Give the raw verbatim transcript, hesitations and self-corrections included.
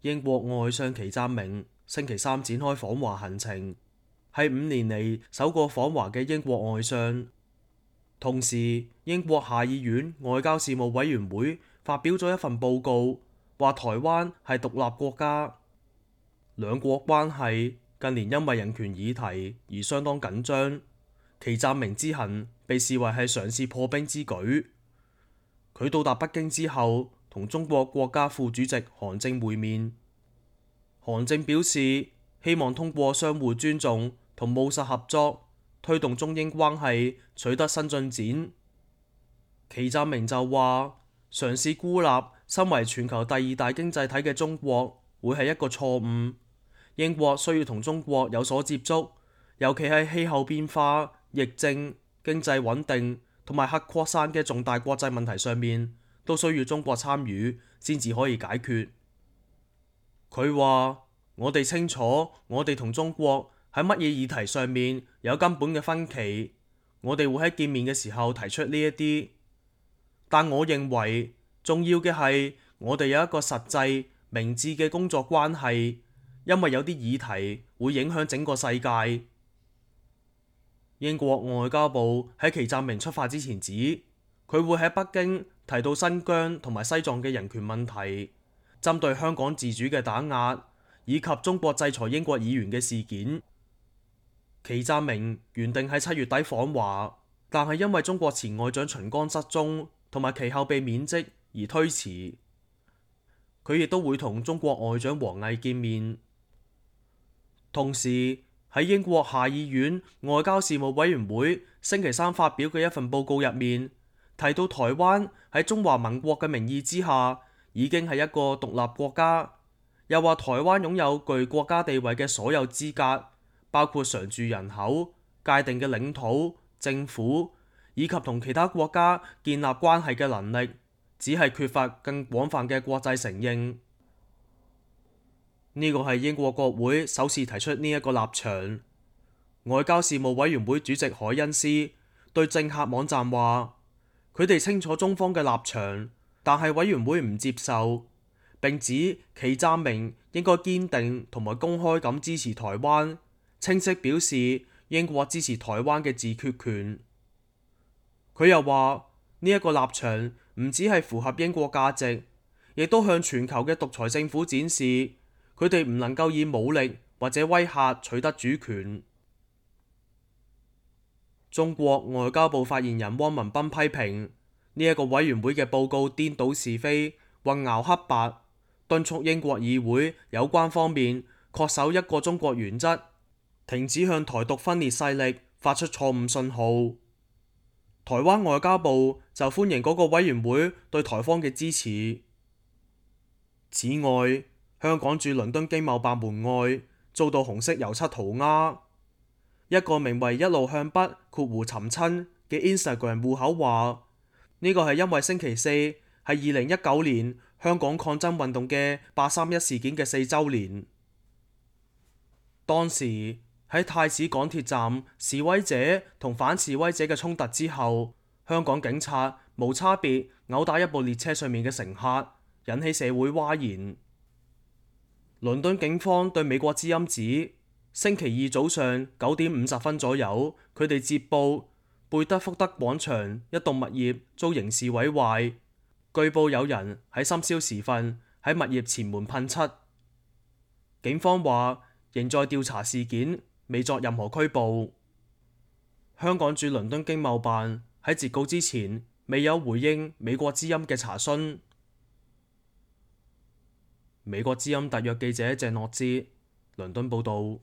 英國外相祁湛明星期三展開訪華行程，係五年嚟首個訪華嘅英國外相。同時，英國下議院外交事務委員會發表咗一份報告，話台灣係獨立國家。兩國關係近年因為人權議題而相當緊張。祁湛明之行被視為係嘗試破冰之舉。佢到達北京之後，同中國國家副主席韓正會面。韓正表示希望通過相互尊重同務實合作，推動中英關係取得新進展。祁湛明就話，嘗試孤立身為全球第二大經濟體嘅中國會係一個錯誤。英國需要同中國有所接觸，尤其係氣候變化、疫症、經濟穩定同埋核擴散嘅重大國際問題上面，都需要中國參與先至可以解決。佢話：我哋清楚，我哋同中國喺乜嘢議題上面有根本嘅分歧，我哋會喺見面嘅時候提出呢一啲。但我認為重要嘅係我哋有一個實際明智嘅工作關係，因為有啲議題會影響整個世界。英國外交部喺祁湛明出發之前指，佢會喺北京提到新疆同埋西藏嘅人權問題，針對香港自主嘅打壓，以及中國制裁英國議員嘅事件。祁湛明原定喺七月底訪華，但係因為中國前外長秦剛失蹤同埋其後被免職而推遲。佢亦都會同中國外長王毅見面。同時喺英國下議院外交事務委員會星期三發表嘅一份報告入面，提到台灣喺中華民國嘅名義之下已經係一個獨立國家，又話台灣擁有具國家地位嘅所有資格，包括常住人口、界定嘅領土、政府以及同其他國家建立關係嘅能力，只係缺乏更廣泛嘅國際承認。呢個係英國國會首次提出呢一個立場。外交事務委員會主席凱恩斯對政客網站話：佢哋清楚中方嘅立場，但係委員會唔接受，並指祁湛明應該堅定同埋公開咁支持台灣，清晰表示英國支持台灣嘅自決權。佢又話呢一個立場唔只係符合英國價值，亦都向全球嘅獨裁政府展示，佢哋唔能夠以武力或者威嚇取得主權。中國外交部發言人汪文斌批評呢一個委員會嘅報告顛倒是非、混淆黑白，敦促英國議會有關方面恪守一個中國原則，停止向台獨分裂勢力發出錯誤信號。台灣外交部就歡迎嗰個委員會對台方嘅支持。此外，香港駐倫敦經貿辦門外遭到紅色油漆塗鴉。一個名為一路向北括弧尋親嘅 Instagram 戶口話，呢個係因為星期四係二零一九年香港抗爭運動嘅八三一事件嘅四週年。當時喺太子港鐵站示威者同反示威者嘅衝突之後，香港警察無差別毆打一部列車上面嘅乘客，引起社會譁然。倫敦警方對美國之音指，星期二早上九點五十分左右，佢哋接報貝德福德廣場一棟物業遭刑事毀壞，據報有人喺深宵時分喺物業前門噴漆。警方話仍在調查事件，未作任何拘捕。香港駐倫敦經貿辦喺截稿之前未有回應美國之音嘅查詢。美國之音特約記者鄭諾之倫敦報道。